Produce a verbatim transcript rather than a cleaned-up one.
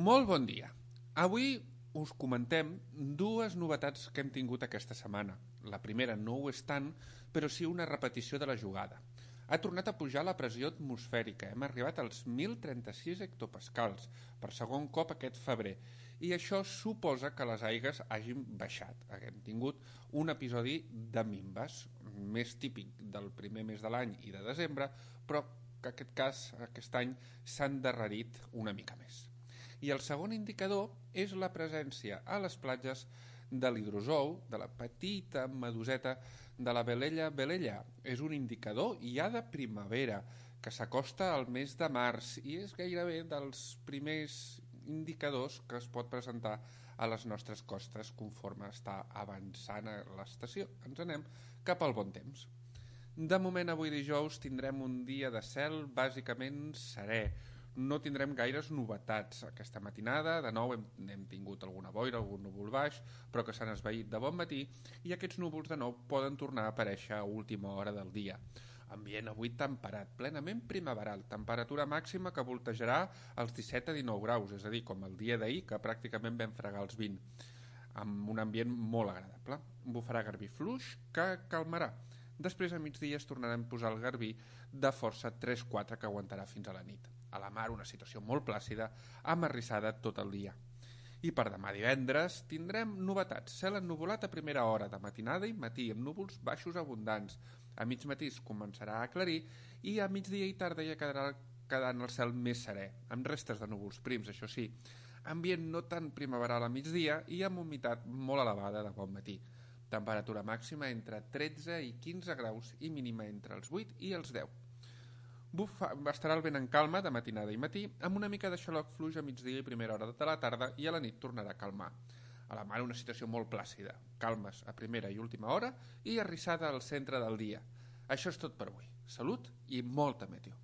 Molt bon dia. Avui us comentem dues novetats que hem tingut aquesta setmana. La primera no ho és tant, però sí una repetició de la jugada. Ha tornat a pujar la pressió atmosfèrica. Hem arribat als mil trenta-sis hectopascals per segon cop aquest febrer. I això suposa que les aigues hagin baixat. Hem tingut un episodi de minves, més típic del primer mes de l'any i de desembre, però que aquest cas, aquest any, s'ha endarrerit una mica més. I el segon indicador és la presència a les platges de l'hidrozou, de la petita meduseta de la velella velella. És un indicador ja de primavera, que s'acosta al mes de març i és gairebé dels primers indicadors que es pot presentar a les nostres costes conforme està avançant l'estació. Ens anem cap al bon temps. De moment, avui dijous, tindrem un dia de cel bàsicament serè. No tindrem gaires novetats aquesta matinada. De nou hem, hem tingut alguna boira, algun núvol baix, però que s'han esvaït de bon matí, i aquests núvols de nou poden tornar a aparèixer a última hora del dia. Ambient avui temperat, plenament primaveral, temperatura màxima que voltejarà als disset a dinou graus, és a dir, com el dia d'ahir, que pràcticament vam fregar els vint, amb un ambient molt agradable. Bufarà garbí fluix que calmarà. Després a migdia es tornarà a posar el garbí de força tres quatre que aguantarà fins a la nit. A la mar una situació molt plàcida, amarrissada tot el dia. I per demà divendres tindrem novetats. Cel ennuvolat a primera hora de matinada i matí, amb núvols baixos abundants. A mig matí es començarà a aclarir i a migdia i tarda ja quedarà quedant el cel més serè, amb restes de núvols prims, això sí. Ambient no tan primaveral a migdia i amb humitat molt elevada de bon matí. Temperatura màxima entre tretze i quinze graus i mínima entre els vuit i els deu. Bufa, estarà el vent en calma de matinada i matí, amb una mica de xaloc fluix a migdia i primera hora de la tarda, i a la nit tornarà a calmar. A la mar una situació molt plàcida, calmes a primera i última hora i arrissada al centre del dia. Això és tot per avui. Salut i molta meteo.